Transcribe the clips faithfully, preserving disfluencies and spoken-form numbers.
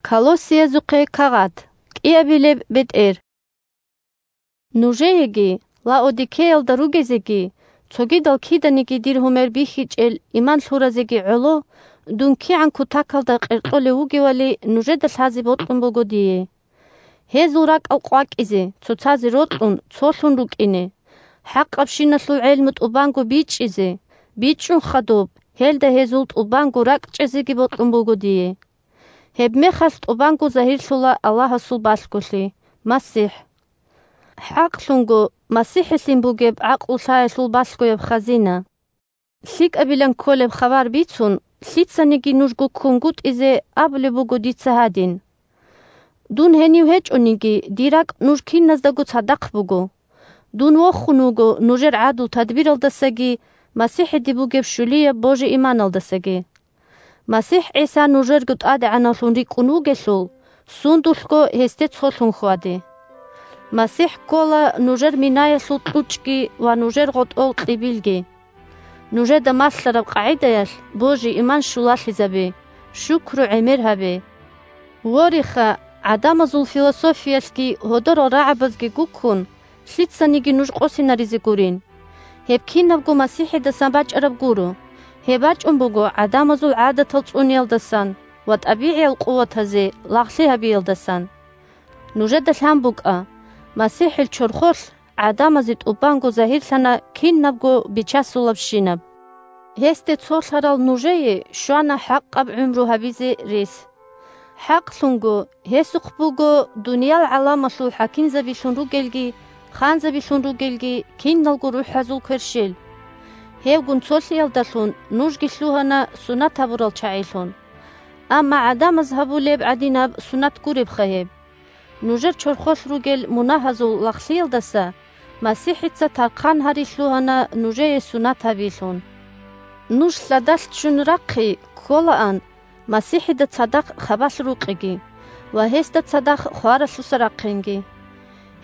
Колоссиязухъе кагъат. КӀиабилеб бетӀер. Нужееги, Лаодикеялда ругезеги, цогидал киданиги дир гьумер бихьичӀел иман лъуразеги гӀоло, дун кигӀан кутакалда къеркьолев вугевали нужеда лъазе бокьун буго дие. Гьезул ракӀал къвакӀизе, цоцазе рокьун, цолъун рукӀине, хӀакъабщиналъул гӀелму тӀубанго бичӀчӀизе, бичӀчӀун хадуб, гьелда гьезул тӀубанго ракӀчӀезеги бокьун буго дие. Гьебмехалъ тӀубанго загьирлъула Аллагьасул балъголъи, МасихӀ. ХӀакълъунго, МасихӀилъин бугеб гӀакълу-лъаялъул балъгояб хазина. ЛъикӀабилан кколеб хабар бицун, лъицаниги нуж гуккунгутӀизе абулеб буго дица гьадин. Дун гьенив гьечӀониги, дир ракӀ нуж киназдаго цадахъ буго. Дун вохун вуго нужер гӀадлу-тадбиралдасаги МасихӀиде бугеб щулияб божи-иманалдасаги. МасихӀ ГӀиса нужерго ТӀадегӀанавлъун рикӀкӀун вугелъул, сундулъго гьесде цолъун хьваде. МасихӀ ккола нужер минаялъул кьучӀги ва нужер гъотӀол кьибилги. Нужеда малъараб къагӀидаялъ божи-иман щулалъизабе, шукру-гӀемер гьабе. Вориха, гӀадамазул философиялъги гьодорал рагӀабазги гуккун, лъицаниги нуж къосинаризе гурин. Гьеб кинабго МасихӀидасан бачӀараб гуро. Гьеб бачӀун буго гӀадамазул гӀадатал цӀуниялдасан ва тӀабигӀиял къуватазе лагълъи гьабиялдасан. Нужеда лъан букӀа, МасихӀил чорхолъ гӀадамазе тӀубанго загьирлъана кинабго бичасулабщинаб. Гьесде цолъарал нужее щвана хӀакъаб гӀумру гьабизе рес. ХӀакълъунго, гьесухъ буго дуниял гӀаламалъул хӀакимзабилъун ругелги, ханзабилъун ругелги киналго рухӀазул кверщел. Гьевгун цолъиялдалъун нужги лъугьана сунат гьабурал чагӀилъун. Амма гӀадамаз гьабулеб гӀадинаб сунат гуребха гьеб? Нужер чорхолъ ругел мунагьазул лагълъиялдаса МасихӀица тархъан гьари лъугьана нужее сунат гьабилъун. Нуж лъадалъ ччун рахъи кколаан МасихӀида цадахъ хабалъ рукъиги ва гьесда цадахъ хваралъуса рахъинги.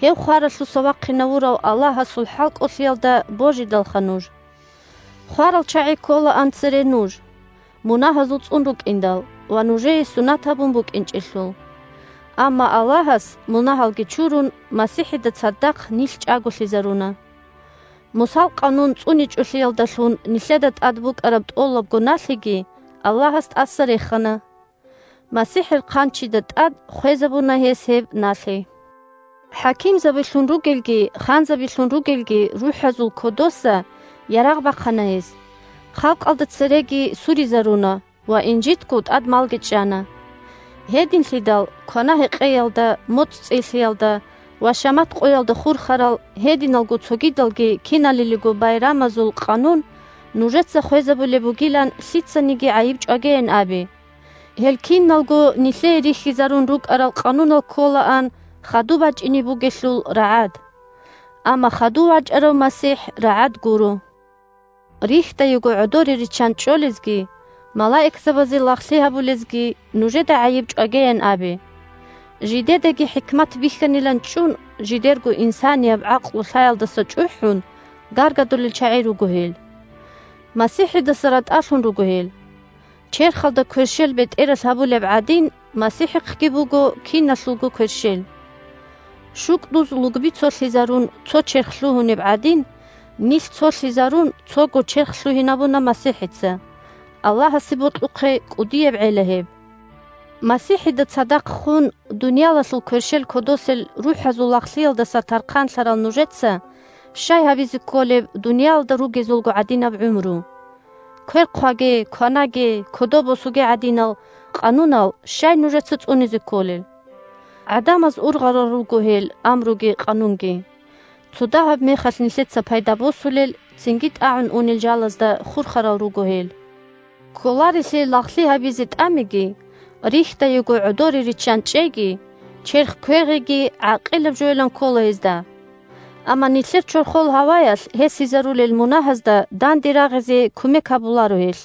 Гьев хваралъуса вахъинавурав Аллагьасул хӀалкӀолъиялда божидалха нуж. Хварал чагӀи кколаан цере нуж, мунагьазул цӀун рукӀиндал ва нужее сунат гьабун букӀинчӀелъул. Амма Аллагьас, мунагьалги чурун, МасихӀида цадахъ нилъ чӀаголъизаруна. Мусал къанун цӀуничӀолъиялдалъун нилъеда тӀад букӀараб тӀолабго налъиги Аллагьас тӀаса рехана. МасихӀил хъанчида тӀад хвезабуна гьес гьеб налъи. ХӀакимзабилъун ругелги, ханзабилъун ругелги рухӀазул кодоса ярагъ бахъана гьес. Халкъалда цереги суризаруна ва инжитго тӀад малги чӀана. Гьединлъидал квана-гьекъеялда, моцӀ цӀилъиялда ва шамат къоялда хурхарал гьединалго цогидалги киналилиго байрамазул къанун нужеца хвезабулеб бугилан лъицаниги гӀайиб чӀвагейин абе. Гьел киналго нилъее рихьизарун рукӀарал къанунал кколаан хадуб бачӀине бугелъул рагӀад. Амма хадув вачӀарав МасихӀ рагӀад гуро. Рихьдайго гӀодоре риччан чӀолезги, малаикзабазе лагълъи гьабулезги нужеда гӀайиб чӀвагеян абе. Жидедаги хӀикмат бихьанилан чӀун, жидерго инсанияб гӀакълу-лъаялдаса чӀухӀун, гаргадулел чагӀи руго гьел. МасихӀидаса ратӀалъун руго гьел. Черхалда кверщел бетӀералъ гьабулеб гӀадин, МасихӀихъги буго киналъулго кверщел. ШукӀдуз лугби цолъизарун цо черх лъугьунеб гӀадин, нилъ цолъизарун цого черх лъугьинабуна МасихӀица. Аллагьасе бокьухъе кӀудияб гӀела гьеб. МасихӀида цадахъ хун, дуниялалъул кверщел кодосел рухӀазул лагълъиялдаса тархъанлъарал нужеца щай гьабизе кколеб дуниялалда ругезулго гӀадинаб гӀумру? Квер хъваге, кванаге, кодоб босуге гӀадинал къанунал щай нужеца цӀунизе кколел? ГӀадамаз ургъарал руго гьел амруги къанунги. Цо дагьаб мехалъ нилъеца пайда босулел, цинги тӀагӀун унел жалазда хурхарал руго гьел. Кколарелъе лагълъи гьабизе тӀамиги, рихьдайго гӀодоре риччан чӀеги, черх квегъиги гӀакъилаб жойилан ккола гьезда. Амма нилъер чорхол гьаваялъ гьесизарулел мунагьазда данде рагъизе кумек гьабуларо гьелъ.